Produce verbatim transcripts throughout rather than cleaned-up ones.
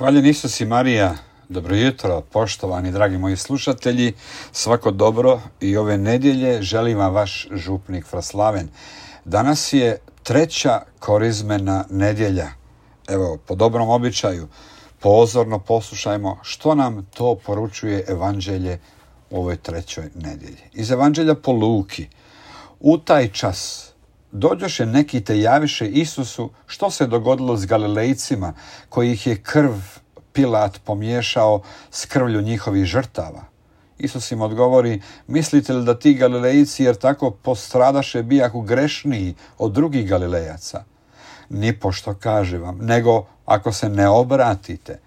Hvaljen Isus i Marija, dobro jutro, poštovani dragi moji slušatelji, svako dobro i ove nedjelje želim vam vaš župnik Fraslaven. Danas je treća korizmena nedjelja. Evo, po dobrom običaju, pozorno poslušajmo što nam to poručuje evanđelje u ovoj trećoj nedjelji. Iz evanđelja po Luki, u taj čas dođoše neki te javiše Isusu što se dogodilo s Galilejcima, koji ih je krv Pilat pomiješao s krvlju njihovih žrtava. Isus im odgovori, mislite li da ti Galilejci jer tako postradaše bijahu grešniji od drugih Galilejaca? Nipošto kaže vam, nego ako se ne obratite,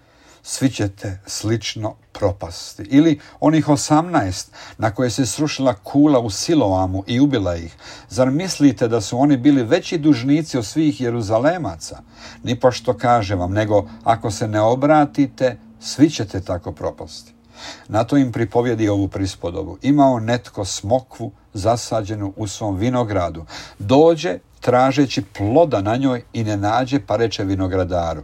svi ćete slično propasti. Ili onih osamnaest na koje se srušila kula u Siloamu i ubila ih. Zar mislite da su oni bili veći dužnici od svih Jeruzalemaca? Nipošto kaže vam, nego ako se ne obratite, svi ćete tako propasti. Na to im pripovjedi ovu prispodobu. Imao netko smokvu zasađenu u svom vinogradu. Dođe tražeći ploda na njoj i ne nađe, pa reče vinogradaru,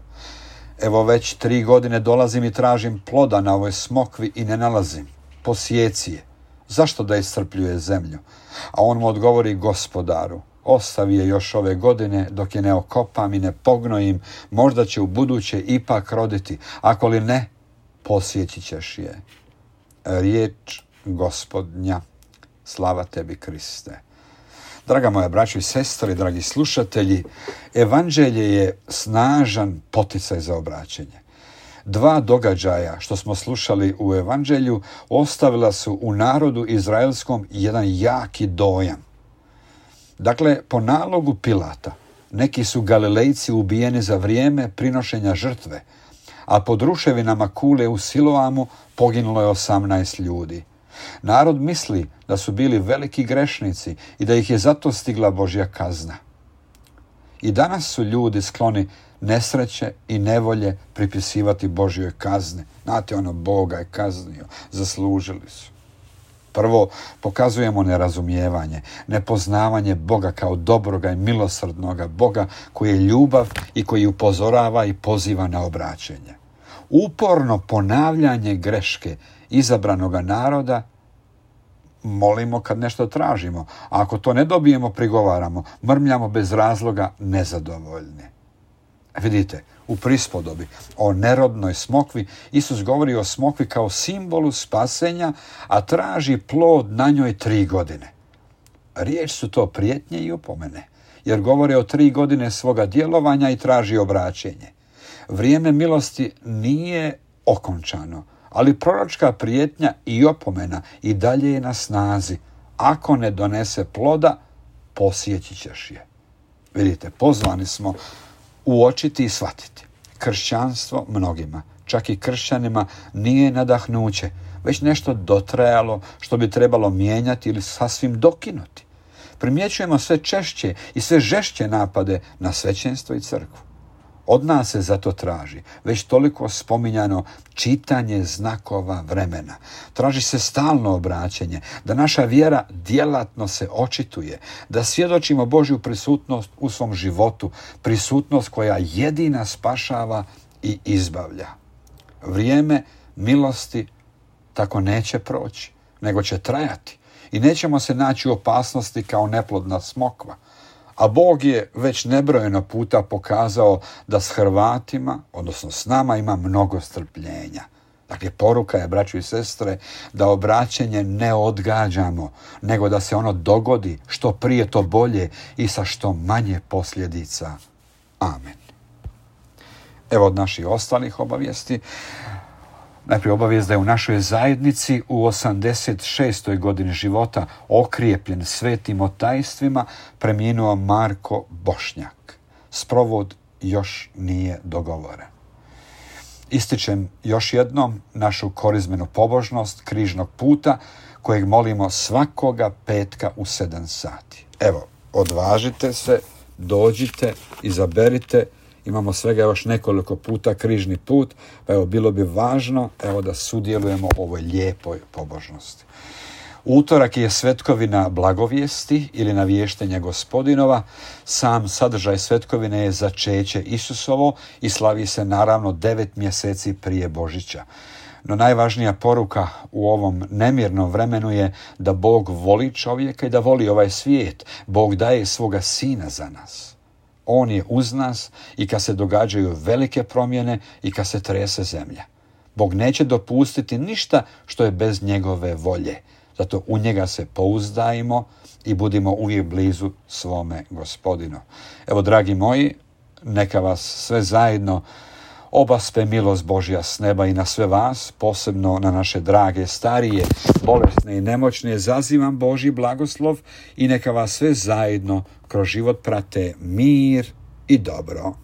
evo već tri godine dolazim i tražim ploda na ovoj smokvi i ne nalazim. Posjeci je. Zašto da iscrpljuje zemlju? A on mu odgovori, gospodaru, ostavi je još ove godine dok je ne okopam i ne pognojim, možda će u buduće ipak roditi. Ako li ne, posjeći ćeš je. Riječ Gospodnja. Slava tebi, Kriste. Draga moja braćo i sestre, dragi slušatelji, evanđelje je snažan poticaj za obraćenje. Dva događaja što smo slušali u evanđelju ostavila su u narodu izraelskom jedan jaki dojam. Dakle, po nalogu Pilata, neki su Galilejci ubijeni za vrijeme prinošenja žrtve, a pod ruševinama kule u Siloamu poginulo je osamnaest ljudi. Narod misli da su bili veliki grešnici i da ih je zato stigla Božja kazna. I danas su ljudi skloni nesreće i nevolje pripisivati Božjoj kazni. Znate, ono, Boga je kaznio, zaslužili su. Prvo, pokazujemo nerazumijevanje, nepoznavanje Boga kao dobroga i milosrdnoga Boga koji je ljubav i koji upozorava i poziva na obraćenje. Uporno ponavljanje greške izabranoga naroda molimo kad nešto tražimo, a ako to ne dobijemo, prigovaramo, mrmljamo bez razloga nezadovoljni. Vidite, u prispodobi o nerodnoj smokvi Isus govori o smokvi kao simbolu spasenja, a traži plod na njoj tri godine. Riječ su to prijetnje i opomene, jer govore o tri godine svoga djelovanja i traži obraćenje. Vrijeme milosti nije okončano, ali proročka prijetnja i opomena i dalje je na snazi. Ako ne donese ploda, posjeći ćeš je. Vidite, pozvani smo uočiti i shvatiti. Kršćanstvo mnogima, čak i kršćanima, nije nadahnuće, već nešto dotrajalo što bi trebalo mijenjati ili sasvim dokinuti. Primjećujemo sve češće i sve žešće napade na svećenstvo i crkvu. Od nas se zato traži već toliko spominjano čitanje znakova vremena. Traži se stalno obraćenje, da naša vjera djelatno se očituje, da svjedočimo Božju prisutnost u svom životu, prisutnost koja jedina spašava i izbavlja. Vrijeme milosti tako neće proći, nego će trajati i nećemo se naći u opasnosti kao neplodna smokva. A Bog je već nebrojeno puta pokazao da s Hrvatima, odnosno s nama, ima mnogo strpljenja. Dakle, poruka je, braćo i sestre, da obraćenje ne odgađamo, nego da se ono dogodi što prije to bolje i sa što manje posljedica. Amen. Evo od naših ostalih obavijesti. Najprije obavijest da je u našoj zajednici u osamdeset šestoj godini života okrijepljen svetim otajstvima preminuo Marko Bošnjak. Sprovod još nije dogovoren. Ističem još jednom našu korizmenu pobožnost križnog puta kojeg molimo svakoga petka u sedam sati. Evo, odvažite se, dođite, izaberite. Imamo svega još nekoliko puta križni put, pa evo bilo bi važno evo da sudjelujemo u ovoj lijepoj pobožnosti. Utorak je svetkovina blagovijesti ili navještenja Gospodinova. Sam sadržaj svetkovine je začeće Isusovo i slavi se naravno devet mjeseci prije Božića. No najvažnija poruka u ovom nemirnom vremenu je da Bog voli čovjeka i da voli ovaj svijet. Bog daje svoga sina za nas. On je uz nas i kad se događaju velike promjene i kad se trese zemlja. Bog neće dopustiti ništa što je bez njegove volje. Zato u njega se pouzdajmo i budimo uvijek blizu svome Gospodinu. Evo, dragi moji, neka vas sve zajedno obaspe milost Božja s neba i na sve vas, posebno na naše drage, starije, bolesne i nemoćne, zazivam Božji blagoslov i neka vas sve zajedno kroz život prate mir i dobro.